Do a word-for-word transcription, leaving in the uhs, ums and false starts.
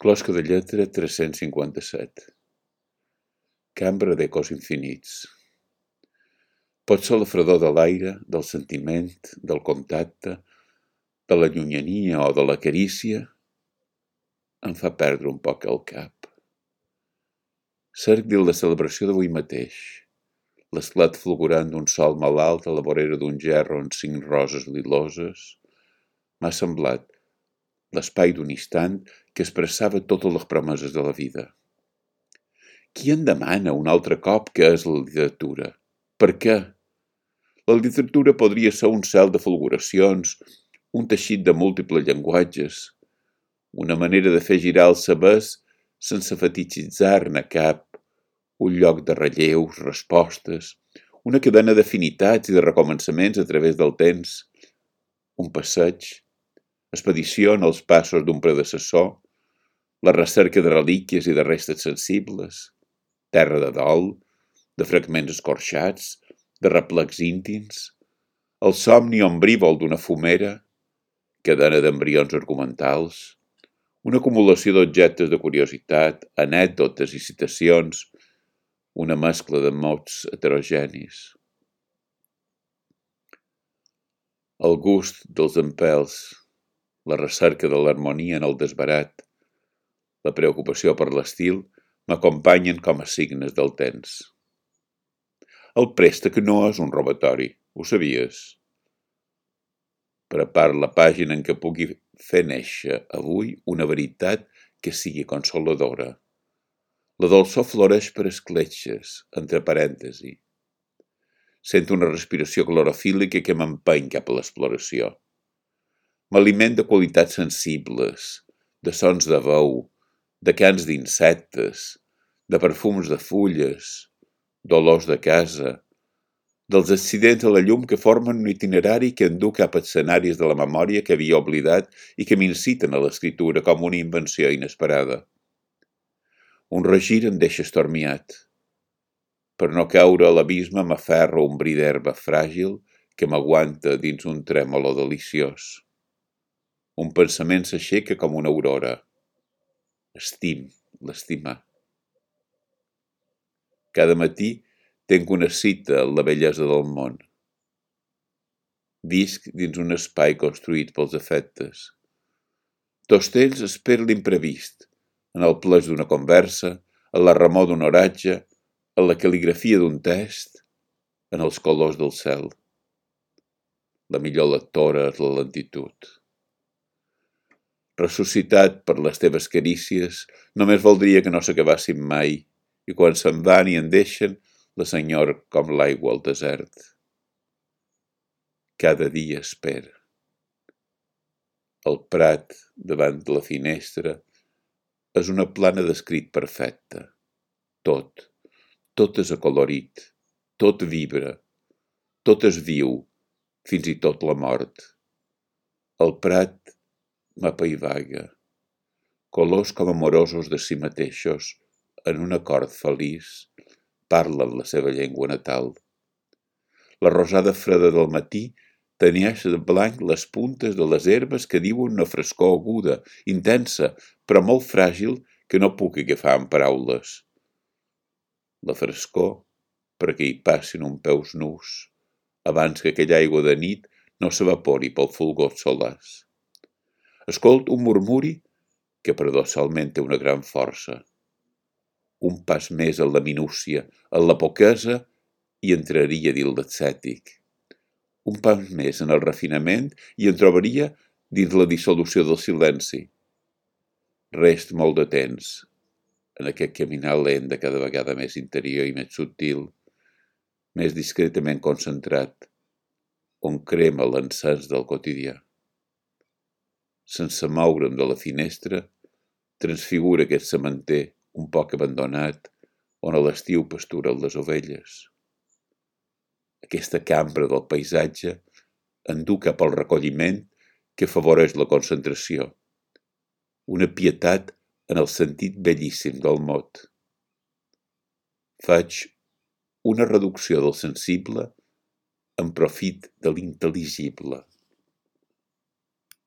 Closca de lletra tres-cents cinquanta-set. Cambra d'ecos infinits. Pot ser la fredor de l'aire, del sentiment, del contacte, de la llunyania o de la carícia, em fa perdre un poc el cap. Cerc dins la celebració d'avui mateix, l'esclat fulgurant d'un sol malalt a la vorera d'un gerro amb cinc roses liloses, m'ha semblat l'espai d'un instant que expressava totes les promeses de la vida. Qui en demana un altre cop que és la literatura? Per què? La literatura podria ser un cel de fulguracions, un teixit de múltiples llenguatges, una manera de fer girar els sabers sense fetichitzar-ne cap, un lloc de relleus, respostes, una cadena d'afinitats i de recomençaments a través del temps, un passeig, expedició en els passos d'un predecessor, la recerca de relíquies i de restes sensibles, terra de dol, de fragments escorxats, de replecs íntims, el somni ombrívol d'una fumera, cadena d'embrions argumentals, una acumulació d'objectes de curiositat, anècdotes i citacions, una mescla de mots heterogenis. El gust dels empels, la recerca de l'harmonia en el desbarat, la preocupació per l'estil m'acompanyen com a signes del temps. El préstec no és un robatori, ho sabies? Prepara la pàgina en què pugui fer néixer avui una veritat que sigui consoladora. La dolçor floreix per escletxes, entre parèntesi. Sento una respiració clorofílica que m'empeny cap a l'exploració. M'aliment de qualitats sensibles, de sons de veu, de cants d'insectes, de perfums de fulles, d'olors de casa, dels accidents a la llum que formen un itinerari que endú cap a escenaris de la memòria que havia oblidat i que m'inciten a l'escriptura com una invenció inesperada. Un regir em deixa estormiat. Per no caure a l'abisme m'aferro un bri d'herba fràgil que m'aguanta dins un trèmolo deliciós. Un pensament s'aixeca com una aurora. Estim, l'estimar. Cada matí tenc una cita amb la bellesa del món. Visc dins un espai construït pels afectes. Tots ells espero l'imprevist, en el pleix d'una conversa, en la remor d'un oratge, en la cal·ligrafia d'un text, en els colors del cel. La millor lectora és la lentitud. Ressuscitat per les teves carícies, només voldria que no s'acabassin mai, i quan se'n van i en deixen, les enyoro com l'aigua al desert. Cada dia espero. El prat, davant de la finestra, és una plana d'escrit perfecta. Tot, tot és acolorit, tot vibra, tot és viu, fins i tot la mort. El prat m'apaivaga, colors com amorosos de si mateixos, en un acord feliç, parlen la seva llengua natal. La rosada freda del matí tenyeix de blanc les puntes de les herbes que diuen una frescor aguda, intensa, però molt fràgil que no puc agafar en paraules. La frescor perquè hi passin un peus nus, abans que aquella aigua de nit no s'evapori pel fulgor solars. Escolto un murmuri que paradoxalment té una gran força. Un pas més en la minúcia, en la poquesa, i entraria dins l'ascètic. Un pas més en el refinament i en trobaria dins la dissolució del silenci. Rest molt de temps en aquest caminar lent de cada vegada més interior i més subtil, més discretament concentrat, on crema l'encens del quotidià. Sense moure'm de la finestra, transfigura aquest sementer un poc abandonat, on a l'estiu pasturen les ovelles. Aquesta cambra del paisatge endú cap al recolliment que afavoreix la concentració. Una pietat en el sentit bellíssim del mot. Faig una reducció del sensible en profit de l'intel·ligible.